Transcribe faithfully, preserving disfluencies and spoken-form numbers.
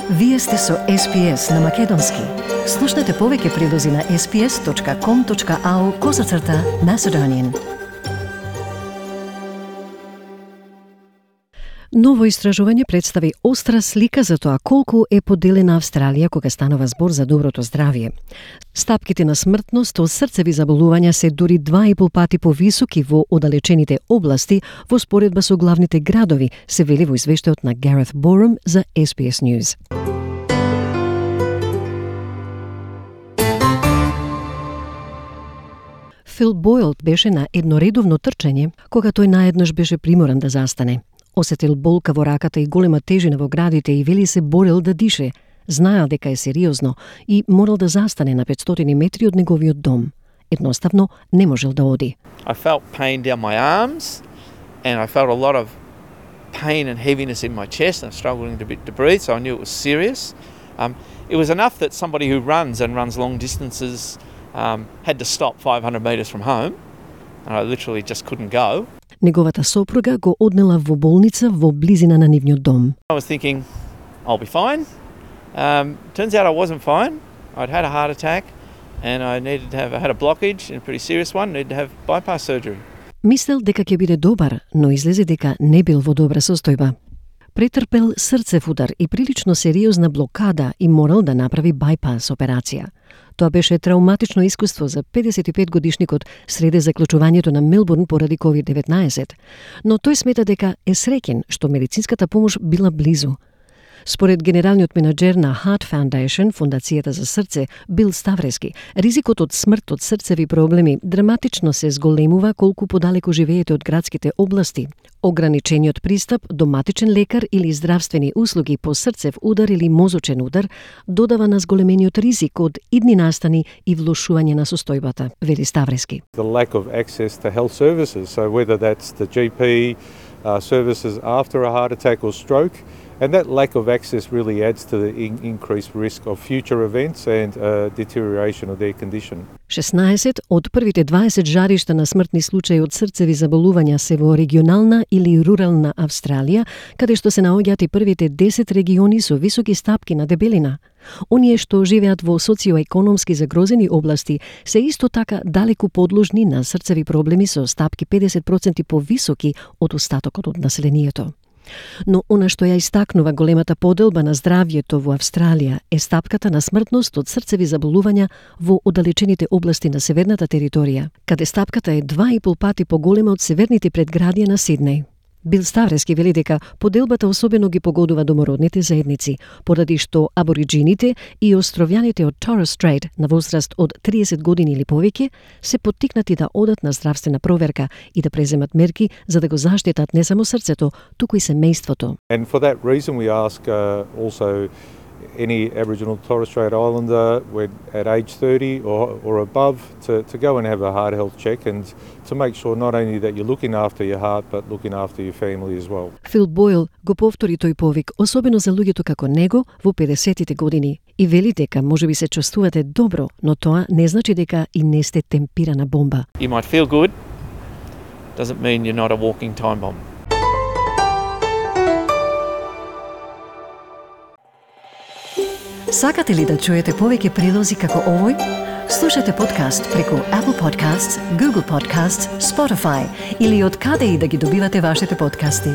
Вие сте со Ес Пи Ес на Македонски. Слушнете повеќе прилози на ес пи ес точка ком точка ау козацрта Macedonian. Ново истражување представи остра слика за тоа колку е поделена Австралија кога станува збор за доброто здравје. Стапките на смртност од срцеви заболувања се дури два и пол пати повисоки во оддалечените области во споредба со главните градови, се вели во извештајот на Гарет Борум за Ес Пи Ес News. Фил Бойл беше на едноредовно трчање кога тој наеднаш беше приморан да застане. Осетил болка во раката и голема тежина во градите и вели се борел да дише. Знаел дека е сериозно и морал да застане на петстотини метри од неговиот дом. Едноставно не можел да оди. I felt pain down my arms and I felt a lot of pain and heaviness in my chest and struggling to, to breathe, so I knew it was serious. Um, it was enough that somebody who runs and runs long distances um, had to stop five hundred metres from home, and I literally just couldn't go. Неговата сопруга го однела во болница во близина на нивниот дом. I was thinking, I'll be fine. Um, turns out I wasn't fine. I'd had a heart attack and I needed to have, I had a blockage, and a pretty serious one, needed to have bypass surgery. Мислел дека ќе биде добар, но излезе дека не бил во добра состојба. Претрпел срцев удар и прилично сериозна блокада и морал да направи байпас операција. Тоа беше травматично искуство за педесет и пет годишникот среде заклучувањето на Мелбурн поради ковид деветнаесет, но тој смета дека е среќен што медицинската помош била близу. Според генералниот менаџер на Heart Foundation, фондацијата за срце, Бил Ставрески, ризикот од смрт од срцеви проблеми драматично се зголемува колку подалеку живеете од градските области. Ограничениот пристап до матичен лекар или здравствени услуги по срцев удар или мозочен удар додава на зголемениот ризик од идни настани и влошување на состојбата, вели Ставрески. The lack of access to health services, so whether that's the G P uh, services after a heart attack or stroke, and that lack of access really adds to the in- increased risk of future events and uh, deterioration of their condition. шеснаесет од првите дваесет жаришта на смртни случаи од срцеви заболувања се во регионална или рурална Австралија, каде што се наоѓаат и првите десет региони со високи стапки на дебелина. Оние што живеат во социоекономски загрозени области се исто така далеку подложни на срцеви проблеми со стапки педесет проценти повисоки од остатокот од населението. Но она што ја истакнува големата поделба на здравјето во Австралија е стапката на смртност од срцеви заболувања во оддалечените области на северната територија, каде стапката е два и пол пати поголема од северните предградија на Сиднеј. Бил Ставрески вели дека поделбата особено ги погодува домородните заедници, поради што абориджините и островјаните од Торres Strait на возраст од триесет години или повеќе се поттикнати да одат на здравствена проверка и да преземат мерки за да го заштитат не само срцето, туку и семејството. And for that reason we ask uh, also any Aboriginal Torres Strait Islander when at age thirty or, or above to, to go and have a heart health check and to make sure not only that you're looking after your heart but looking after your family as well. Фил Бойл го повтори тој повик, особено за луѓето како него во педесетите години, и вели дека можеби се чувствувате добро, но тоа не значи дека и не сте темпирана бомба. You might feel good, doesn't mean you're not a walking time bomb. Сакате ли да чуете повеќе прилози како овој? Слушате подкаст преку Apple Podcasts, Google Podcasts, Spotify или од каде и да ги добивате вашите подкасти.